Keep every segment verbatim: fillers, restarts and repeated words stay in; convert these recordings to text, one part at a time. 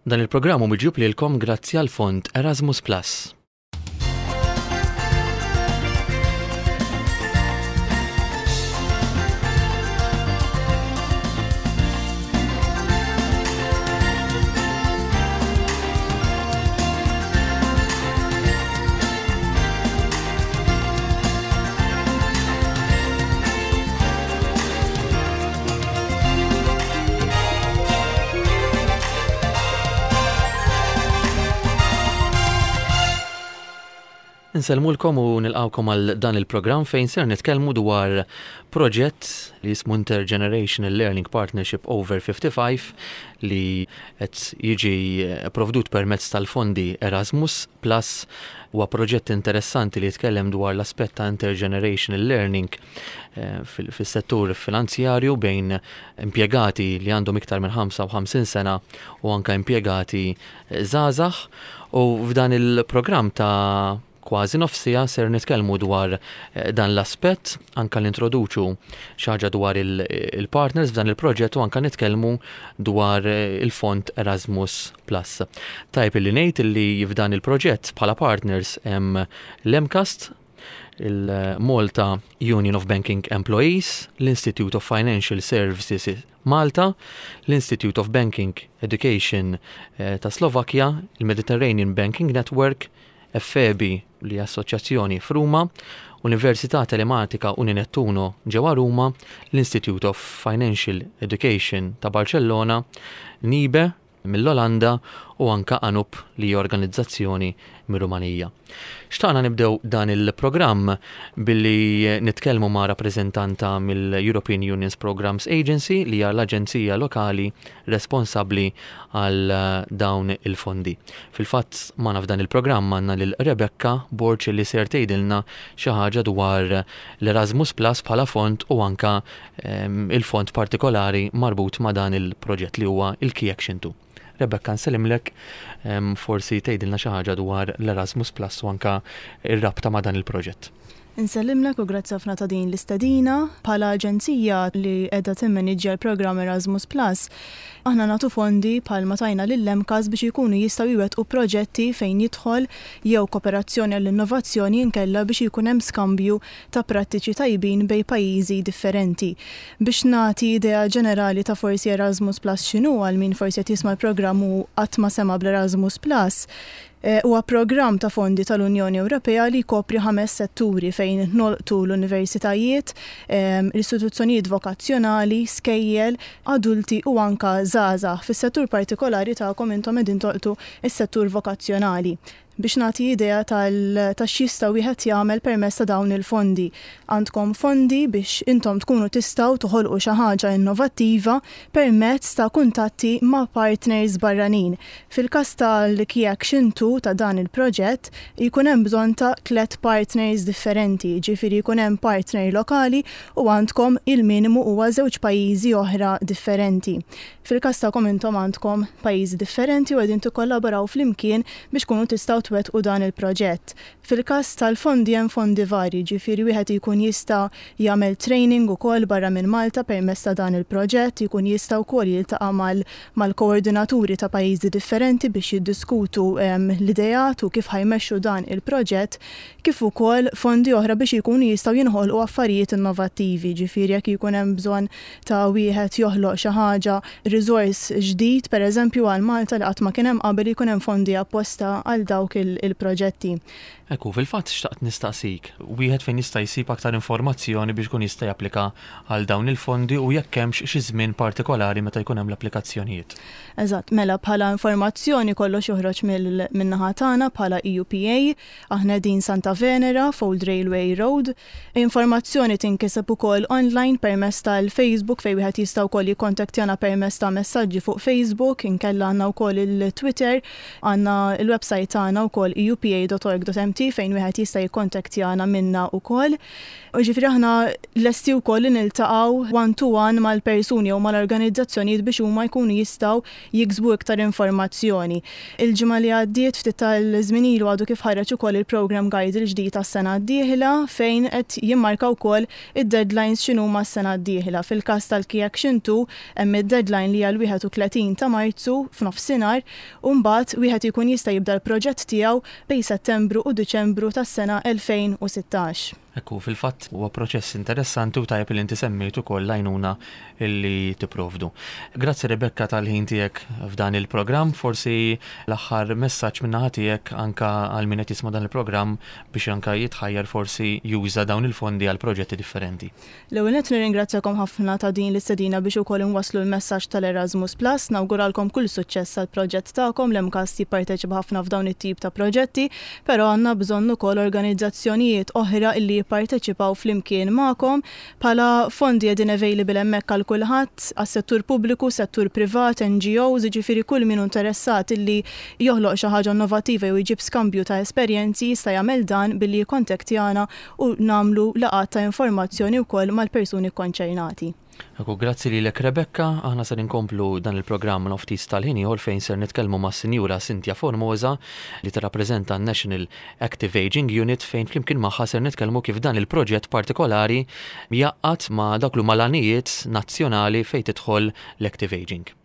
Dan il-programm hu miġjub lilkom grazzi għal fond Erasmus Plus. Insellmulkom u nilqawkom għal dan il-programm fejn ser nitkellmu dwar proġett li jismu Intergenerational Learning Partnership Over fifty-five li qed jiġi provdut permezz tal-fondi Erasmus Plus. Huwa proġett interessanti li jitkellem dwar l-aspett ta' intergenerational learning, eh, fil-, fis-settur finanzjarju bejn impjegati li għandhom iktar minn ħamsa u ħamsin sena u anka impjegati żgħażagħ. U f'dan il-programm ta' kważi nofsija ser nitkellmu dwar, eh, dan l-aspett, anka nintroduċu xi ħaġa dwar il-, il-partners f'dan il-proġett u anka nitkellmu dwar, eh, il-fond Erasmus Plus. Tajb illi ngħid illi f'dan il-proġett bħala partners hemm l-MCAST, il-Malta Union of Banking Employees, l-Institute of Financial Services Malta, l-Institute of Banking Education, eh, ta' Slovakkja, il-Mediterranean Banking Network, F E B li assoċjazzjoni f'Ruma, Università Telematika Uninettuno ġewwa Ruma, l-Institute of Financial Education ta' Barcellona, NIBE mill-Olanda u anka ANUP li hija organizzazzjoni mir-Rumanija. Xtaqna nibdew dan il-programm billi nitkellmu ma' rappreżentanta mill-European Union's Programmes Agency li hija l-aġenzija lokali responsabbli għal dawn il-fondi. Fil-fatt magħna f'dan il-programm għandna lil Rebecca Borg li ser tgħidilna xi ħaġa dwar l-Erasmus Plus bħala fond u anka, ehm, il-fond partikolari marbut ma' dan il-proġett li huwa il-Key Action two. Rebecca, nsellimlek, ehm, forsi tgħidilna xi ħaġa dwar l-Erasmus Plus u anka r-rabta ma' dan il-proġett. Insellimlek u grazzi ħafna ta' din l-istedina. Bħala aġenzija li qiegħda timmaniġġja l-programm Erasmus Plus, aħna nagħtu fondi bħalma tajna lill-MCAST biex ikunu jistgħu jwettqu proġetti fejn jidħol jew kooperazzjoni għall-innovazzjoni inkella biex ikun hemm skambju ta' prattiċi tajbin bejn pajjiżi differenti. Biex nagħti idea ġenerali ta' forsi Erasmus Plus x'inhu għal min forsi qed jisma' l-programm u qatt ma sema' bl-Erasmus Plus, Eh, huwa programm ta' fondi tal-Unjoni Ewropea li jkopri ħames setturi fejn nolqtu l-universitajiet, ehm, l-istituzzjonijiet vokazzjonali, skejjel, adulti u anka żgħażagħ. Fis-settur partikolari tagħkom intom qegħdin tolqtu s-settur vokazzjonali. Biex nagħti idea tal-, ta' x'jista' wieħed jagħmel permezz ta' dawn il-fondi. Għandkom fondi biex intom tkunu tistgħu toħolqu xi ħaġa innovattiva permezz ta' kuntatti ma' partners barranin. Fil-każ tal-Key Action two ta' dan il-proġett jkun hemm bżonn ta' tliet partners differenti, ġifieri jkun hemm partner lokali u għandkom il-minimu huwa żewġ pajjiżi oħra differenti. Fil-każ tagħkom intom għandkom pajjiżi differenti u qegħdin tikkollaboraw flimkien biex tkunu tistgħu twettqu dan il-proġett. Fil-każ tal-fondi hemm fondi varji, ġifieri wieħed jkun jista' jagħmel training ukoll barra minn Malta permezz ta' dan il-proġett, jkun jista' wkoll jiltaqa' mal-, mal-koordinaturi ta' pajjiżi differenti biex jiddiskutu, ehm, l-ideat u kif ħajmexxu dan il-proġett, kif ukoll fondi oħra biex jkunu jistgħu jinħolqu affarijiet innovattivi, ġifieri jekk jkun hemm bżonn ta' wieħed joħloq xi ħaġa, riżors ġdid pereżempju għal Malta li qatt ma kien hemm qabel, jkun hemm fondi apposta għal dawk il-, il-proġetti. Ekku, fil-fatt xtaqt nistaqsik, wieħed fejn jista' jsib aktar informazzjoni biex ikun jista' japplika għal dawn il-fondi u jekk hemmx xi żmien partikolari meta jkun hemm l-applikazzjonijiet. Eżatt, mela bħala informazzjoni kollox joħroġ mill-, min-naħa tagħna bħala E U P A, aħna din Santa Venera, Old Railway Road. Informazzjoni tinkiseb ukoll online permezz tal-Facebook fejn wieħed jista' wkoll jikkontattjana permezz ta' messaġġi fuq Facebook, inkella għandna wkoll il-Twitter, għandna il-website tagħna wkoll E U P A dot org dot M T fejn wieħed jista' jikkontattjana minna wkoll. U ġifieri aħna lesti wkoll li niltaqgħu one to one mal-persuni jew mal-organizzazzjonijiet biex huma jkunu jistgħu jiksbu iktar informazzjoni. Il-ġimgħa li għaddiet, ftit tal-żmien ilu, għadu kif ħareġ ukoll il-program guide il-ġdid tas-sena d-dieħla fejn qed jimmarka wkoll id-deadlines x'inhuma s-sena d-dieħla. Fil-każ tal-Key Action two hemm id-deadline li hija l-wieħed u tletin ta' Marzu f'nofsinhar u mbagħad wieħed ikun jista' jibda l-proġett tiegħu bejn Settembru u Diċembru tas-sena elfejn u sittax. Ekku, fil-fatt huwa proċess interessanti u tajjeb li inti semmejt ukoll l-għajnuna illi tipprovdu. Grazzi, Rebecca, tal-ħin tiegħek f'dan il-programm, forsi l-aħħar messaġġ min-naħa tiegħek anka għal min qed jisma' dan il-programm biex anka jitħajjar forsi juża dawn il-fondi għal proġetti differenti. L-ewwel nett nirringrazzjakom ħafna ta' din l-istedina biex ukoll inwasslu l-messaġġ tal-Erasmus Plus. Nawguralkom kull suċċess għal proġett tagħkom. L-MCAST jipparteċipa ħafna f'dawn it-tip ta' proġetti, però għandna bżonn ukoll organizzazzjonijiet oħra illi jipparteċipaw flimkien magħkom. Bħala fondi qegħdin available hemmhekk għal kulħadd, għas-settur pubbliku, settur privat, N G Os, jiġifieri kull min interessat illi joħloq xi ħaġa innovattiva jew jġib skambju ta' esperjenzi jista' jagħmel dan billi jikkontattjana u nagħmlu laqgħat ta' informazzjoni wkoll mal-persuni konċernati. Ekku, grazzi lilek, Rebecca, aħna ser inkomplu dan il-programm ftit tal-ħin ieħor fejn ser nitkellmu ma' Sinjura Cynthia Formosa li tirrappreżenta National Active Aging Unit, fejn flimkien magħha ser nitkellmu kif dan il-proġett partikolari jaqgħad ma' dak li mal-għanijiet nazzjonali fejn tidħol l-Active Aging.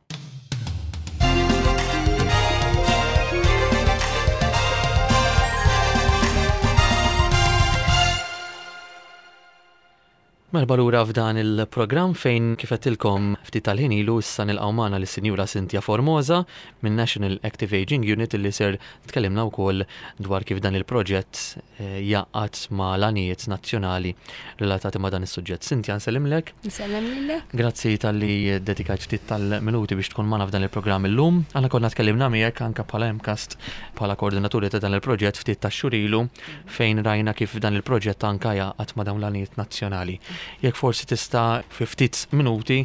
Merħba lura f'dan il-programm fejn, kif għedtilkom ftit tal-ħin ilu, issa nilqgħu magħna lis-Sinjura Cynthia Formosa minn National Active Aging Unit illi ser tkellimna wkoll dwar kif dan il-proġett eh, jaqgħad ma' l-għanijiet nazzjonali relatati ma' dan is-suġġett. Cynthia, nsellimlek. Nsellem lilek. Grazzi talli dedikajt ftit tal-minuti biex tkun magħna f'dan il-programm illum. Aħna konna tkellimna miegħek anke bħala MCAST, bħala koordinaturi ta' dan il-proġett, ftit tax-xhur ilu fejn rajna kif dan il-proġett anke jaqgħad ma' dawn l-għanijiet nazzjonali. Jekk forsi tista' fi ftit minuti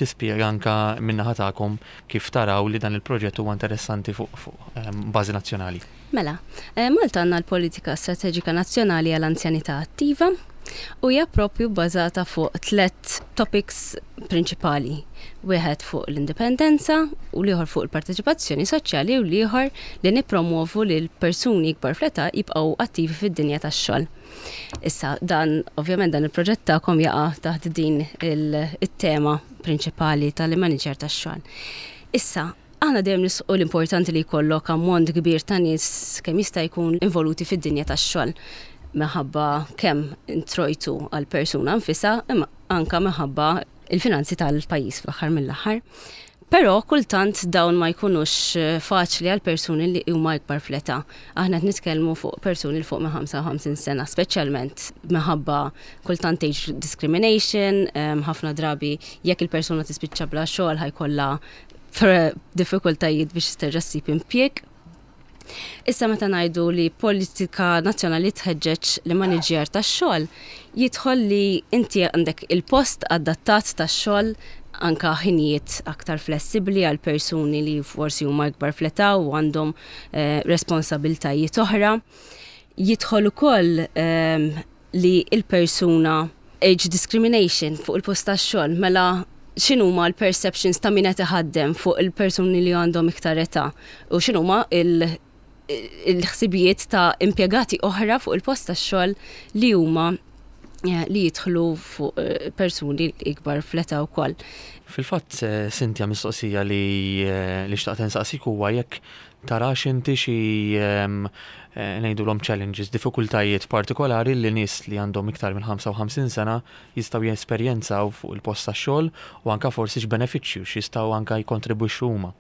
tispjega anka min-naħa tagħkom kif taraw li dan il-proġett huwa interessanti fuq fuq ehm, bażi nazzjonali. Mela, eh, Malta għandna l-politika strateġika nazzjonali għall-anzjanità attiva u hija propju bbażata fuq tlet topics prinċipali. Wieħed fuq l-indipendenza u l-ieħor fuq il-parteċipazzjoni soċjali u l-ieħor li nippromovu li l-persuni ikbar fl-età jibqgħu attivi fid-dinja tax-xogħol. Issa, dan, ovvjament, dan il-proġett tagħkom jaqa' taħt din il-tema prinċipali tal-manager tax-xogħol. Issa, aħna dejjem nisqu l-importanti li jkollok ammont kbir ta' nies kemm jista' jkun involuti fid-dinja tax-xogħol minħabba kemm introjtu għal persuna nfisha, imma anka minħabba il-finanzi tal-pajjiż fl-aħħar mill-aħħar. Però kultant dawn ma jkunux eh, faċli għal persuni li huma ikbar fl-età. Aħna qed nitkellmu fuq persuni 'l fuq minn ħamsa u ħamsin sena, speċjalment minħabba kultant age discrimination, ħafna drabi jekk il-persuna tispiċċa bla xogħol ħa jkollha diffikultajiet biex terġa' ssib impjieg. Issa, meta ngħidu li politika nazzjonali tħeġġeġ l-immaniġjar tax-xogħol, jidħol li inti għandek il-post adattat tax-xogħol, anka ħinijiet aktar flessibli għal persuni li forsi huma ikbar fl-età u għandhom eh, responsabiltajiet oħra. Jidħol ukoll eh, li il-persuna age discrimination fuq il-post tax-xogħol, mela x'inhuma l-perceptions ta' min qed iħaddem fuq il-persuni li għandhom iktar età u x'inhuma il- il-ħsibijiet ta' impjegati oħra fuq il-post tax-xogħol li huma eh, li jidħlu fuq eh, persuni ikbar fl-età wkoll. Fil-fatt, eh, Cynthia, mistoqsija li li xtaqt insaqsik huwa jekk tarax inti xi ehm, ngħidulhom challenges, diffikultajiet partikolari li nies li għandhom iktar minn ħamsa u ħamsin sena jistgħu jesperjenzaw fuq il-post tax-xogħol u anka forsi x'benefiċċju x'jistgħu anka jkontribwixxu huma.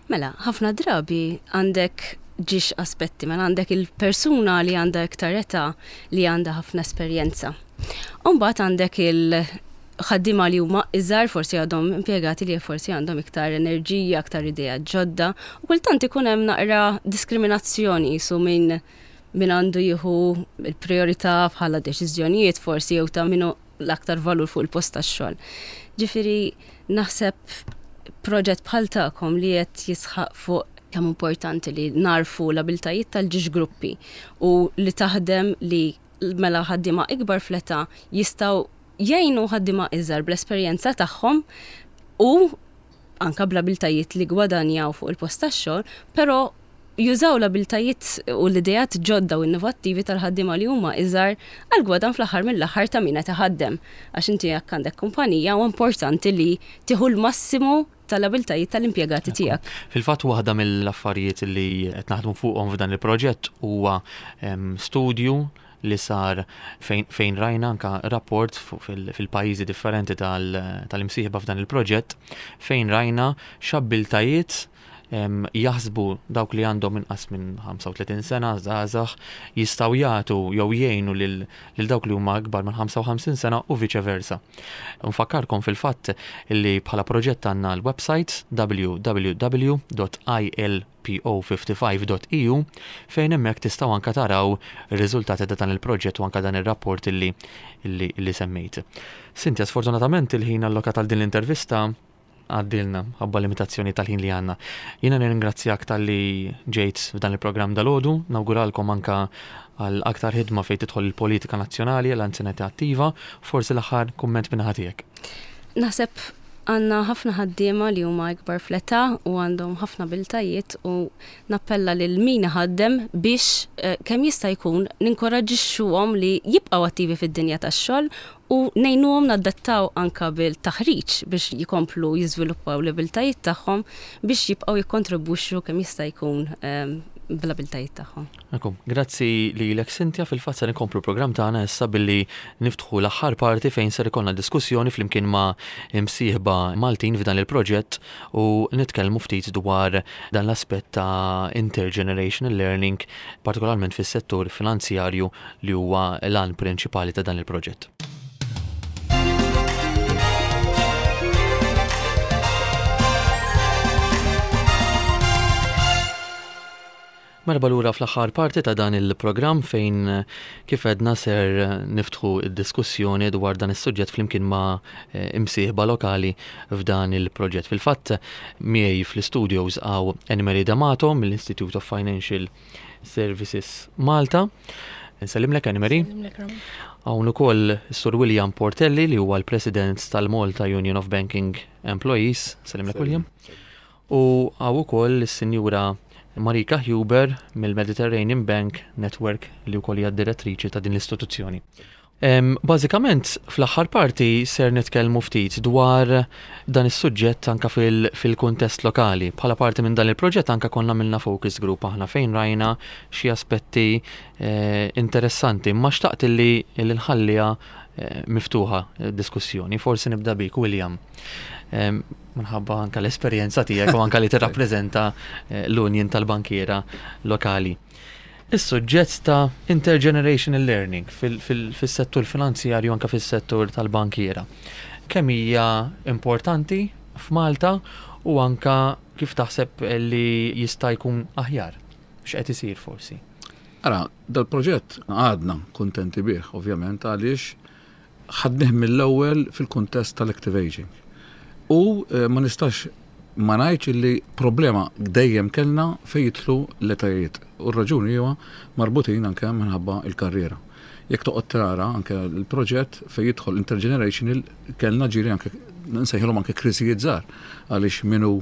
Mela, ħafna drabi għandek żewġ aspetti, mela għandek il-persuna li għandha iktar età li għandha ħafna esperjenza. Umbagħad għandek il-ħaddiema li huma iżgħar, forsi għadhom impjegati, li forsi għandhom iktar enerġija, iktar idea ġodda, u kultant ikun hemm naqra diskriminazzjoni su minn min għandu jieħu il-priorità bħala deċiżjonijiet forsi jew ta' minnu l-aktar valur fuq il-post tax-xogħol. Ġifieri naħseb proġett bħal tagħkom li qed jisħaq fuq kemm importanti li narfu l-abiltajiet tal-żewġ gruppi u li taħdem li mela ħaddiema ikbar fl-età jistgħu jgħinu ħaddiema iżgħar bl-esperjenza tagħhom u anka bl-abiltajiet li gwadanjaw fuq il-post tax-xogħol, però jużaw l-abiltajiet u l-idejat ġodda u innovattivi tal-ħaddiema li huma iżgħar għal gwadan fl-aħħar mill-aħħar ta' min qed iħaddem. Għax inti jekk għandek kumpanija u importanti li tieħu l-massimu tal-abiltajiet tal-impjegati tiegħek. Fil-fatt waħda mill-affarijiet li qed naħdmu fuqhom f'dan il-proġett huwa studju li sar fejn, fejn rajna anka rapport fil-pajjiżi differenti tal-imsieħba f'dan il-proġett fejn rajna x'abbiltajiet jaħsbu dawk li għandhom inqas minn ħamsa u tletin sena, żgħażagħ, jistgħu jagħtu jew jgħinu lil dawk li huma akbar minn ħamsa u ħamsin sena u viċe versa. Nfakkarkom fil-fatt li bħala proġett għandna l-website W W W dot I L P O fifty-five dot E U fejn hemmhekk tistgħu anka taraw ir-riżultati ta' dan il-proġett u anka dan ir-rapport illi, illi, illi semmejt. Cynthia, sfortunatament il-ħin allokat għal din l-intervista għaddilna ħabba limitazzjoni tal-ħin li għandna. Jiena nirringrazzjak talli ġejt f'dan il-programm dalgħodu, nawguralkom anka għal aktar ħidma fejn tidħol il-politika nazzjonali l-anzjanità attiva, forsi l-aħħar kumment minn tiegħek. Naħseb għandna ħafna ħaddiema li huma ikbar fl-età u għandhom ħafna abiltajiet u nappella lil min ħaddem biex eh, kemm jista' jkun ninkoraġixxuhom li jibqgħu attivi fid-dinja tax-xogħol u ngħinuhom nadattaw anka bil-taħriġ biex jikomplu jiżviluppaw l-abiltajiet tagħhom biex jibqgħu jikkontribwixxu kemm jista' jkun ehm, bl-abiltajiet tagħhom. Akum, grazzi lilek, Cynthia. Fil-fatt ser inkomplu program tagħna issa billi niftħu l-aħħar parti fejn ser ikollna diskussjoni flimkien ma' imsieħba Maltin f'dan il-proġett u nitkellmu ftit dwar dan l-aspett ta' intergenerational learning, partikolarment fis-settur finanzjarju li huwa l-għan prinċipali ta' dan il-proġett. Merħba lura fl-aħħar parti ta' dan il-programm fejn, kif għedna, ser niftħu id-diskussjoni dwar dan is-suġġett flimkien ma' eh, imsieħba lokali f'dan il-proġett. Fil-fatt miegħi fl-studios hawn Anne-Marie D'Amato mill-Institute of Financial Services Malta. Nsellimlek, Anne-Marie. Hawn ukoll Sur William Portelli li huwa l-President tal-Malta Union of Banking Employees. Sellimlek, William. U hawn ukoll is-Sinjura Marika Huber mill-Mediterranean Bank Network li wkoll hija direttriċi ta' din l-istituzzjoni. Bażikament fl-aħħar parti ser nitkellmu ftit dwar dan is-suġġett anka fil-kuntest lokali. Bħala parti minn dan il-proġett anka konna għamilna focus group aħna fejn rajna xi aspetti eh, interessanti, ma xtaqt li nħalliha eh, miftuħa diskussjoni. Forsi nibda bik, William, minħabba anka l-esperjenza tiegħek u anka li tirrappreżenta eh, l-Union tal-Bankiera lokali. Is-suġġett ta' intergenerational learning fis-settur finanzjarju, anka fis-settur tal-bankiera. Kemm hija importanti f'Malta u anka kif taħseb li jista' jkun aħjar? X'qed isir forsi? Ara, dal-proġett għadna kontenti bih, ovvjament, għaliex ħadnih mill-ewwel fil-kuntest tal-active aging. U eh, ma nistax ma ngħidx li problema dejjem kellna fejn jidħlu l-etajiet. U r-raġuni huwa marbutin anke minħabba il-karriera. Jekk toqgħod tara anke l-proġett fejn jidħol intergenerational, kellna ġiri anke nsejħilhom anke kriżijiet żgħar, għaliex minnu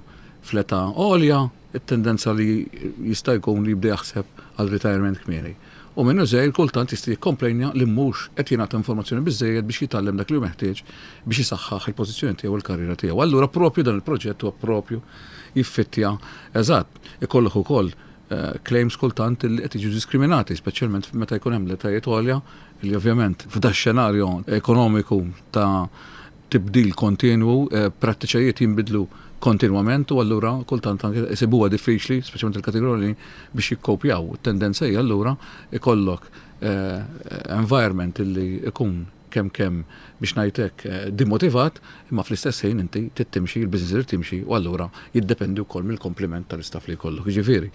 fl-età għolja it-tendenza li jista' jkun li jibda jaħseb għal retirement kmieni. U minnu żgħir kultant jista' jikkomplejnja li mhux qed jingħata informazzjoni biżejjed biex jitgħallem dak li hu meħtieġ biex jisaħħaħ il-pożizzjoni tiegħu u l-karriera tiegħu. Allura propju dan il-proġett huwa propju jiffittja eżatt. Ikollok ukoll eh, claims kultant li qed jiġu diskriminati, speċjalment meta jkun hemm l-etajiet għolja li ovvjament f'da xenarju ekonomiku ta' tibdil kontinwu, eh, prattiċajiet jinbidlu kontinwament u allura kultant anke isibuha diffiċli, speċjalment il-kategorija, biex jikkopjaw. Tendenza hija allura ikollok eh, environment illi ikun kemm kemm biex ngħidlek eh, dimotivat, imma fl-istess ħin inti tittimxi, il-business irid timxi u allura jiddependi wkoll mill-kompliment tal-istaff li jkollok. Jiġifieri,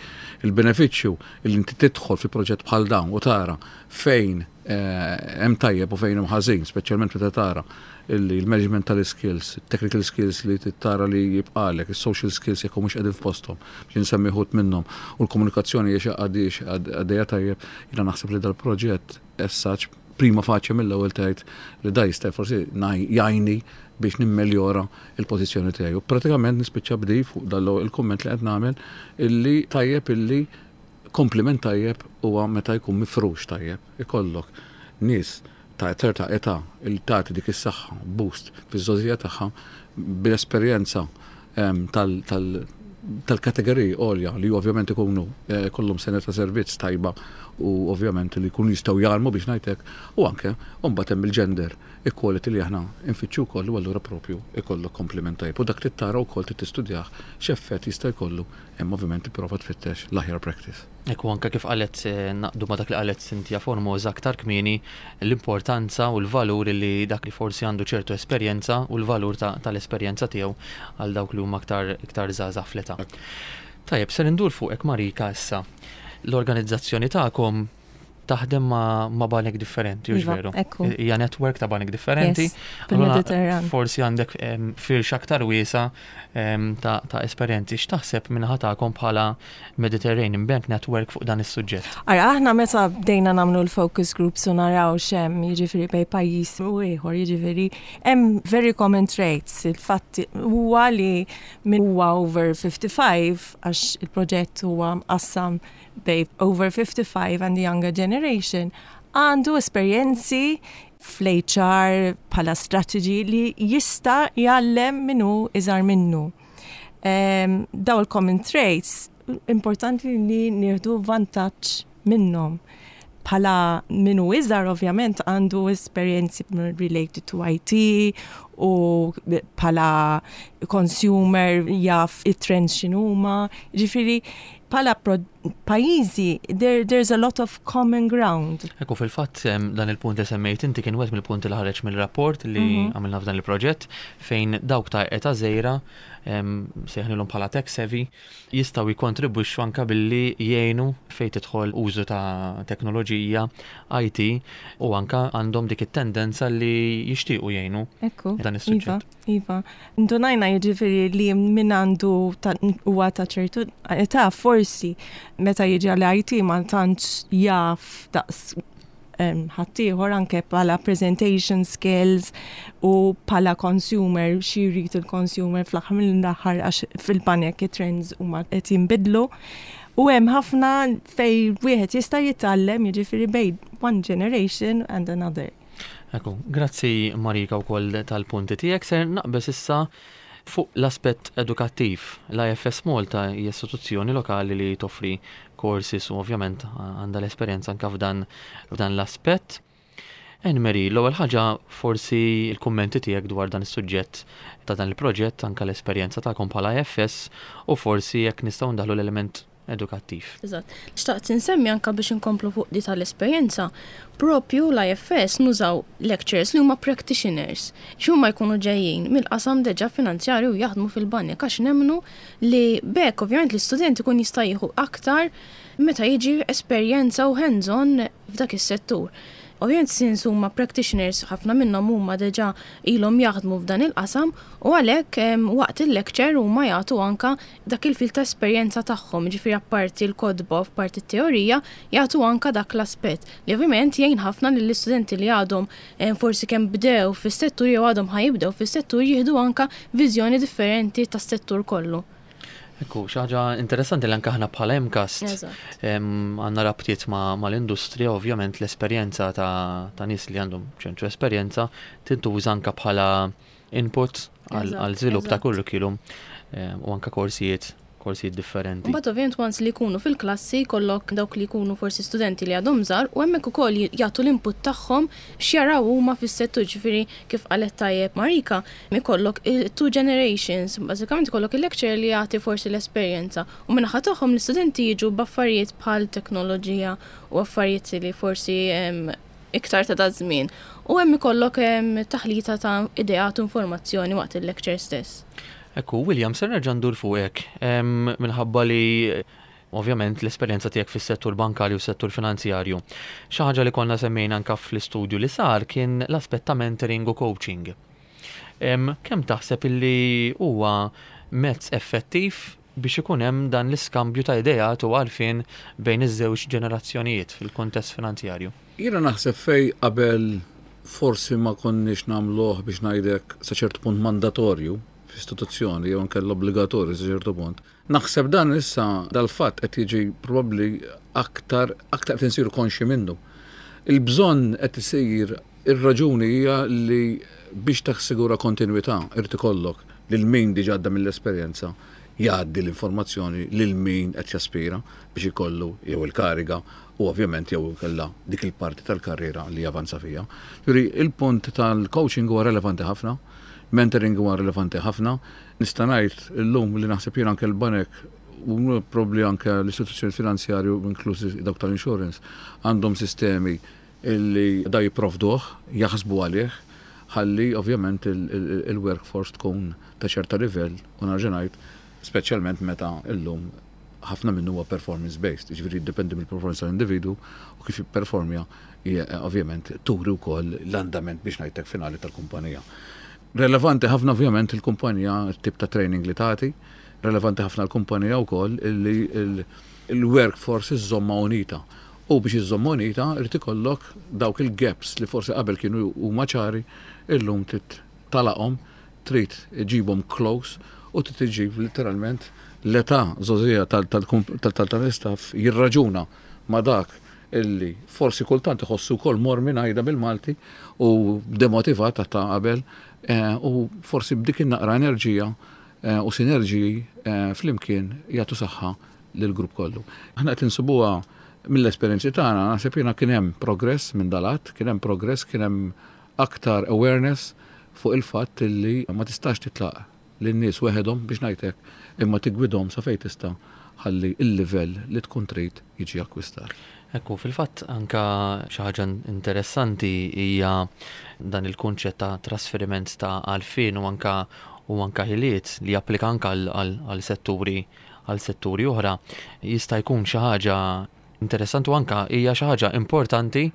il-benefiċċju li inti tidħol fi proġett bħal dawn u tara fejn eh, hemm tajjeb u fejn hemm ħażin, speċjalment meta tara illi l-management tal-skills, technical skills li tara li jibqalek, il-social skills jekk mhux qegħdin f'posthom, biex nsemmi wħud minnhom, u l-komunikazzjoni jiex għaddiex għaddejja tajjeb, jiena naħseb li dal-proġett essaċ Prima facie mill-ewwel tgħid li da jista' forsi jgħinni biex nimmeljora il-pożizzjoni tiegħi. U pratikament nispiċċa bdi fuq dal il-kumment li qed nagħmel illi tajjeb illi kompliment tajjeb huwa meta jkun mifrux tajjeb. Ikollok nies ta' ċerta età il tagħti dik is-saħħa boost fiż-żgħożija tagħha bil-esperjenza tal-kategoriji għolja li ovvjament ikunu eh, kollhom sena ta' servizz tajba u ovvjament li jkunu jistgħu jgħallmu biex ngħidlek, u anke mbagħad hemm il-gender equality li aħna nfittxu wkoll, u allura propju ikollok kompliment tajjeb. U dak trid tara wkoll, trid tistudjah x'effett jista' jkollu, hemm ovvjament tipprova tfittex l-aħjar practice. Ekku, anka kif qalet, eh, naqdu ma dak li qalet Cynthia Formosa aktar kmieni, l-importanza u l-valur li dak li forsi għandu ċertu esperjenza u l-valur tal-esperjenza tiegħu għal dawk li huma aktar iktar żgħażagħ fl-età. Tajjeb, se ndur fuqek, Marika, issa. L-organizzazzjoni tagħkom taħdem ma', ma banek differenti, hux Iva, veru? Ekku. Hija network ta' banek differenti. Yes, fil-Mediterran. Forsi għandek em, firxa aktar wiesa em, ta', ta' esperjenzi. X'taħseb min-naħa tagħkom bħala Mediterranean Bank Network fuq dan is-suġġett? Ara, aħna meta bdejna nagħmlu l-focus groups u naraw x'hemm, jiġifieri bejn pajjiż u ieħor, jiġifieri hemm very common traits. Il-fatt huwa li min huwa over fifty-five, għax il-proġett huwa mqassam bejn over fifty-five and the younger generation, għandu esperjenzi fl-H R bħala strategy li jista' jgħallem min hu iżgħar minnu. Um, daw il-common traits importanti li nieħdu vantaġġ minnhom. Bħala min hu iżgħar ovvjament għandu esperjenzi related to I T u bħala consumer jaf it-trends x'inhuma. Ġifieri bħala pajjiżi there, there's a lot of common ground. Ekku, fil-fatt em, dan il-punt li semmejt inti kien wieħed mill-punti li ħareġ mill-rapport li Mhm. għamilna f'dan il-proġett, fejn dawk ta' età żgħira, sejħnilhom bħala tech savvy, jistgħu jikkontribwixxu anka billi jgħinu fejn tidħol użu ta' teknoloġija, I T, u anka għandhom dik it-tendenza li jixtiequ jgħinu Ekku. dan is-suġġett. Iva, iva. Indunajna jiġifieri li min għandu ta- huwa ta' ċertu età forsi meta jiġi għal I T ma tantx jaf daqs em, ħaddieħor, anke bħala presentation skills u bħala consumer, xi jrid il-consumer fl-aħħar mill-aħħar, għax fil-banek it-trends huma qed jinbidlu. U hemm ħafna fej wieħed jista' jitgħallem, jiġifieri bejn one generation and another. Ekku, grazzi Marika wkoll tal-punti tiegħek. Ser naqbeż issa fuq l-aspett edukattiv. L-I F S Malta hija istituzzjoni lokali li toffri courses u ovvjament għandha l-esperjenza anka f'dan f'dan l-aspett. Anne-Marie, l-ewwel ħaġa forsi l-kummenti tiegħek dwar dan is-suġġett ta' dan il-proġett, anka l-esperjenza tagħkom bħala I F S u forsi jekk nistgħu ndaħlu l-element edukattiv. Eżatt. Xtaqt insemmi anka biex inkomplu fuq di tal-esperjenza, propju l-I F S nużaw lecturers li huma practitioners. X'huma jkunu ġejjin mill-qasam deġa finanzjarju u jaħdmu fil-banek, għax nemmnu li b'hekk ovvjament l-istudent ikun jista' jieħu aktar meta jiġi esperjenza u hands-on f'dak is-settur. Ovvjament since huma practitioners, ħafna minnhom huma deġa ilhom jaħdmu f'dan il-qasam u għalhekk em, waqt il-lecture huma jagħtu anka dak il-fil ta' esperjenza tagħhom, ġifieri apparti l-kotba u apparti t-teorija jagħtu anka dak l-aspett li ovvjament jgħin ħafna lill-istudenti li għadhom em, forsi kemm bdew fis-settur jew għadhom ħa jibdew fis-settur, jieħdu anka viżjoni differenti tas-settur kollu. Ekku, xi ħaġa interessanti li anke aħna bħala MCAST Eżatt. em, għandna rabtiet ma' mal-industrija, ovvjament l-esperjenza ta', ta' nies li għandhom ċertu esperjenza tintuża anka bħala input għal Eżatt, għal żvilupp ta' eżatt. curriculum em, u anka korsijiet korsijiet differenti. Mbagħad ovvjament once li jkunu fil-klassi jkollok dawk li jkunu forsi studenti li għadhom żgħar u hemmhekk ukoll jagħtu l-input tagħhom x'jaraw huma fis-settur, ġifieri kif qalet tajjeb Marika, ikollok il-two generations, bażikament ikollok il-lecturer li jagħti forsi l-esperjenza u min-naħa tagħhom l-istudenti jiġu b'affarijiet bħal teknoloġija u affarijiet li forsi em, iktar ta' daż-żmien. U hemm ikollok em, taħlita ta' ideat u informazzjoni waqt il-lecture stess. Ekku, William, ser nerġa' ndur fuqek em, minħabba li ovvjament l-esperjenza tiegħek fis-settur bankarju u settur finanzjarju. Xi ħaġa li konna semmejna anka fl-istudju li sar kien l-aspett ta' mentoring u coaching. Em, Kemm taħseb illi huwa mezz effettiv Biex ikun hemm dan l-iskambju ta' ideat u għarfien bejn iż-żewġ ġenerazzjonijiet fil-kontest finanzjarju? Jiena naħseb fej qabel forsi ma konniex nagħmluh, biex ngħidlek, sa ċertu punt mandatorju f'istituzzjoni jew inkella obbligatorju sa ċertu punt. Naħseb dan issa dal-fatt qed jiġi probabbli aktar aktar qed insiru konxi minnu. Il-bżonn qed isir. Ir-raġuni hija li biex tassigura kontinwità irid ikollok lil min diġà għadda mill-esperjenza jgħaddi l-informazzjoni lil min qed jaspira biex ikollu jew il-kariga u ovvjament jew kella dik il-parti tal-karriera li javanza fija. Juri, il-punt tal-coaching huwa relevanti ħafna, mentoring huwa relevanti ħafna. Nista' ngħid illum li naħseb jien anke l-banek u probabli anke l-istituzzjoni finanzjarju, inklużi dawk tal-insurance, għandhom sistemi illi da jipprovduh, jaħsbu għalih, ħalli ovvjament il-workforce tkun ta' ċerta livell u nerġa' ngħid, speċjalment meta illum ħafna minnu huwa performance based, jiġifieri jiddependi mill-performance tal-individu u kif jipperformja, ovvjament turi wkoll l-andament, biex ngħidlek, finali tal-kumpanija. Relevanti ħafna ovvjament il-kumpanija tip ta' training li tagħti, relevanti ħafna l-kumpanija wkoll illi il-workforce iżżomma unita. U biex iżżomma unita irid ikollok dawk il-gaps li forsi qabel kienu huma ċari, illum trid tagħlaqhom, trid iġibhom close u trid iġib literalment l-età żgħożija tal-istaff jirraġuna ma' dak illi forsi kultant iħossu wkoll mormi, ngħidha bil-Malti, u demotivat ta' qabel eh, u forsi b'dik in-naqra enerġija eh, u sinerġiji eh, flimkien jagħtu saħħa lill-grupp kollu. Aħna qed insibuha mill-esperjenzi tagħna, naħseb jiena kien hemm progress minn dalat, kien hemm progress, kien hemm aktar awareness fuq il-fatt illi ma tistax titlaq lin-nies weħedhom, biex ngħidlek, imma tiggwidhom sa fejn tista' ħalli il-livell li tkun trid jiġi akkwistat. Ekku, fil-fatt anka xi ħaġa interessanti hija dan il-kunċett ta' trasferiment ta' għarfien u anka u anka ħiliet li japplika anka għal setturi għal setturi oħra. Jista' jkun xi ħaġa interessanti u anka hija xi ħaġa importanti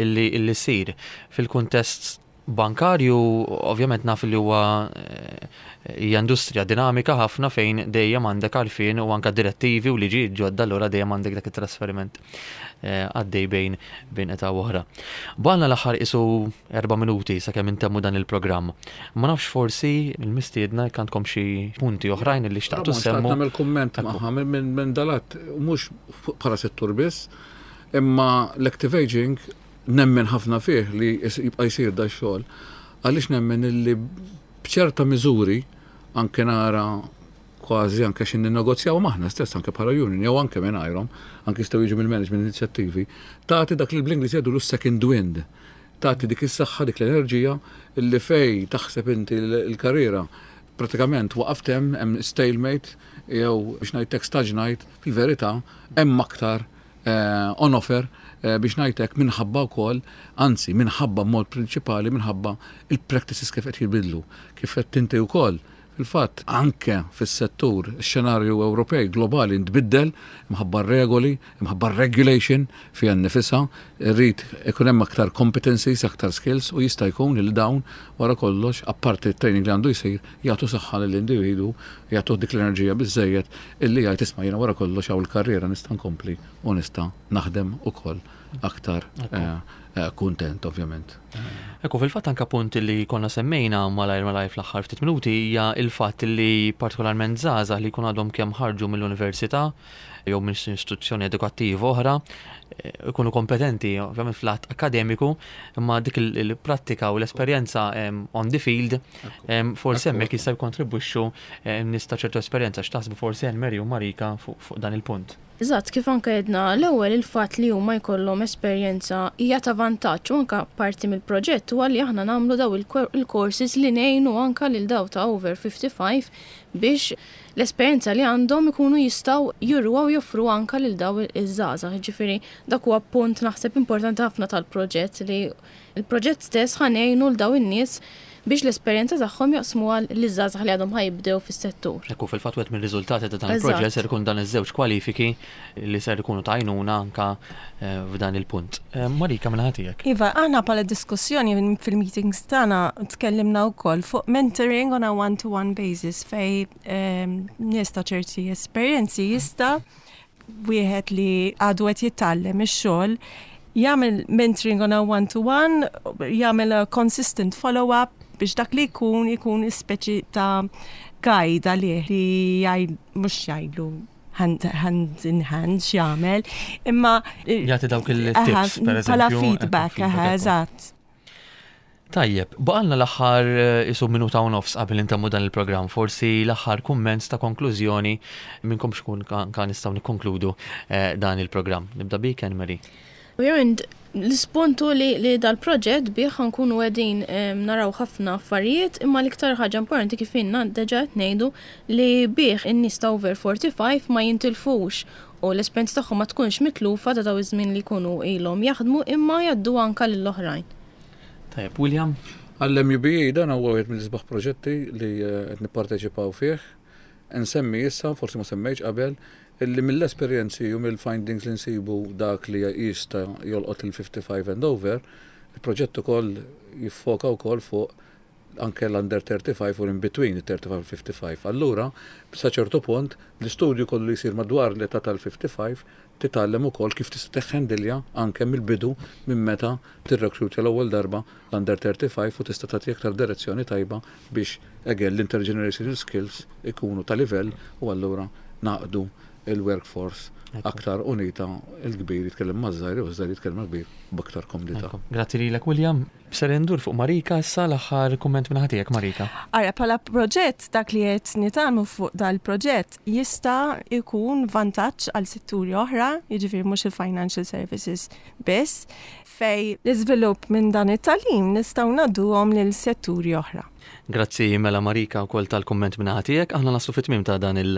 illi illi ssir fil-kuntest bankarju. Ovvjament naf li huwa eh, hija industrija dinamika ħafna fejn dejjem għandek għarfien u anka direttivi u liġi ġodda, allura dejjem għandek dak it-trasferiment eh, għaddej bejn bejn età oħra. Baqgħalna l-aħħar qisu erba' minuti sakemm intemmu dan il-programm. Ma nafx, forsi il-mistiedna jekk għandkom xi punti oħrajn li xtaqtu semmu. Nagħmel kumment magħha minn dalat, mhux bħala settur biss, imma l-active aging nemmen ħafna fih li jibqa' jsir da xogħol. Għaliex nemmen illi b'ċerta miżuri anke nara kważi anke xin ninnegozjaw maħna stess anke bħala union jew anke mingħajrhom, anke jistgħu jiġu mill-management inizjattivi, tagħti dak li bl-Ingliż jgħidu second wind. Tagħti dik is-saħħa, dik l-enerġija illi fej taħseb inti l-karriera pratikament waqaft hemm, hemm stalemate jew, biex ngħidlek, staġnajt, fil-verità hemm aktar eh, on offer eh, biex ngħidlek, minħabba wkoll, anzi minħabba mod prinċipali minħabba il-practices kif qed jibidlu, kif qed tinti wkoll. Fil-fatt, anke fis-settur, xenarju Ewropej globali ntbiddel imħabba regoli, imħabba regulation fiha nnifisha, irrid ikun hemm aktar competencies, aktar skills u jista' jkun li dawn wara kollox, apparti training li għandu jsir, jagħtu saħħa lill-individu, jagħtu dik l-enerġija biżejjed illi jgħid, "Isma', jiena wara kollox hawn il-karriera nista' nkompli u nista' naħdem ukoll aktar eh, eh, kuntent ovvjament." Ekku, fil-fatt anka punt li konna semmejna malajr malajr fl-aħħar ftit minuti hija il-fatt li partikolarment żgħażagħ li jkun għadhom kemm ħarġu mill-università jew minn istituzzjoni edukattiva oħra eh, ikunu kompetenti ovvjament fl-att akademiku, imma dik il-prattika u l-esperjenza on the field forsi hemmhekk jista' jkontribwixxu nies ta' ċertu esperjenza. X'taħsbu forsi Mary u Marika fuq dan il-punt? Eżatt, kif anke jedna l-ewwel, il-fatt li huma jkollhom esperjenza hija ta' vantaġġ u anke parti mill-proġett huwa li aħna nagħmlu daw il-courses li ngħinu anke lil daw ta' over fifty-five biex l-esperjenza li għandhom ikunu jistgħu juruha u joffru anke lil daw iż-żgħażagħ. Ġifieri dak huwa punt naħseb importanti ħafna tal-proġett, li il-proġett stess ħa ngħinu 'l daw in-nies Biex l-esperjenza tagħhom jaqsmuha liż-żgħażagħ li għadhom ħa jibdew fis-settur. Ekku, fil-fatt wieħed mir-riżultati ta' dan il-proġett ser ikun dan iż-żewġ kwalifiki li ser ikunu ta' għajnuna anka eh, f'dan il-punt. Eh, Marika, minn tiegħek. Iva, aħna bħala diskussjoni fil-meetings tagħna tkellimna wkoll fuq mentoring on a one-to-one basis fej ehm, nies ta' ċerti esperjenzi jista' wieħed li għadu qed jitgħallem ix-xogħol jagħmel mentoring on a one-to-one, jagħmel a consistent follow-up biex dak li jkun ikun speċi ta' guide għalih li jgħid, mhux jgħidlu hand, hand in hand x'jagħmel, imma jagħti dawk il-tips, per bħala eżempju. Feedback, aha, eżatt. Tajjeb, baqgħalna l-aħħar eh, isu minuta u nofs qabel intemmu dan il-programm, forsi l-aħħar kumment ta' konklużjoni minnkom xkun kan kan nistgħu nikkonkludu eh, dan il-programm. Nibda bik, Anne Marie. Ovvjament, l-ispuntu li, li dal-proġett bih ħa nkunu qegħdin em, naraw ħafna affarijiet, imma l-iktar ħaġa importanti, kif inna deġa qed ngħidu, li bih in-nies ta' over forty-five ma jintilfux u l-esperjenza tagħhom ma tkunx mitlufa ta' daw iż-żmien li jkunu ilhom jaħdmu, imma jgħaddu anka lill-oħrajn. Tajjeb, William? Għall-M U B A dan huwa wieħed mill-isbaħ proġetti li eh, qed nipparteċipaw fih. Nsemmi issa, forsi ma semmejtx qabel, illi mill-esperjenzi u mill-findings li nsibu dak li jista' jolqot il-fifty-five and over, il-proġett ukoll jiffoka wkoll fuq anke l-under thirty-five u in between il-thirty-five u fifty-five. Allura, sa ċertu punt, l-istudju kollu jisir madwar l-età tal-fifty-five titgħallem ukoll kif tista' teħħendilja anke mill-bidu, minn meta tirrekrutja l-ewwel darba l-under thirty-five, u tista' tagħti aktar direzzjoni tajba biex again l-intergenerational skills ikunu ta' livell u allura naqdu il-workforce aktar unita, il-kbir jitkellem maż-żgħir u ż-żgħir jitkellem mal-kbir b'aktar komdità. Ekku. Grazzi lilek, William. Ser indur fuq Marika issa, l-aħħar kumment minn ħatijek, Marika. Ara, bħala proġett, dak li qed nitgħallmu fuq dal-proġett jista' jkun vantaġġ għal setturi oħra, jiġifieri mhux il-financial services biss, fej l-iżvilupp minn dan it-tagħlim nistgħu ngħadduhom lil setturi oħra. Grazzi mela, Marika, wkoll tal-kumment minn ħatijek. Aħna naslu fit-tmiem ta' dan il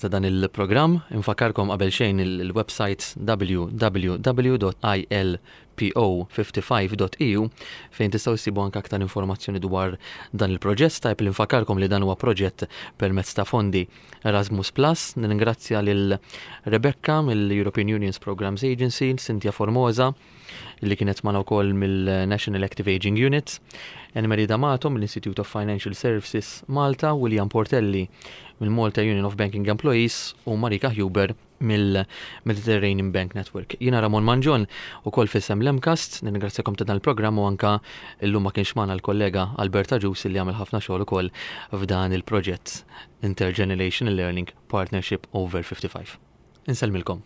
ta' dan il-programm. Infakkarkom qabel xejn il-website W W W punt I L P O fifty-five punt E U fejn tistgħu ssibu anke aktar informazzjoni dwar dan il-proġett. Tajb li nfakkarkom li dan huwa proġett permezz ta' fondi Erasmus Plus. Ningrazzja lil Rebecca mill-European Union's Programs Agency, Cynthia Formosa li kienet magħna wkoll mill-National Active Aging Unit, Anne-Marie D'Amato mill-Institute of Financial Services Malta, William Portelli mill-Malta Union of Banking Employees u Marika Huber mill-Mediterranean Bank Network. Jiena Ramon Mangion ukoll f'isem l-MCAST, nirringrazzjakom ta' dan il-programm u anka illum ma kienx magħna l-kollega Alberta Ġus li għamel ħafna xogħol ukoll f'dan il-proġett Intergenerational Learning Partnership Over fifty-five. Insellmilkom.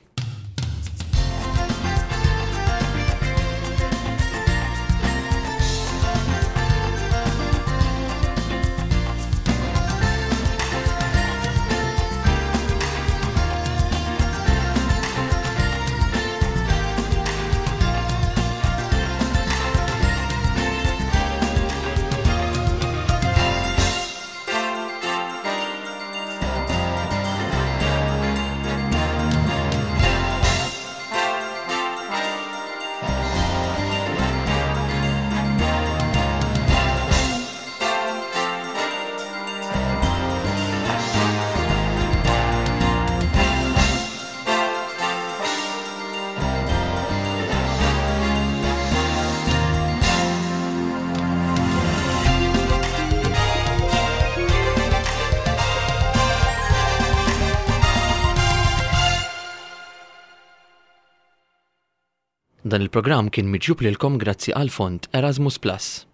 Dan il-programm kien miġjub lilkom grazzi għal fond Erasmus Plus.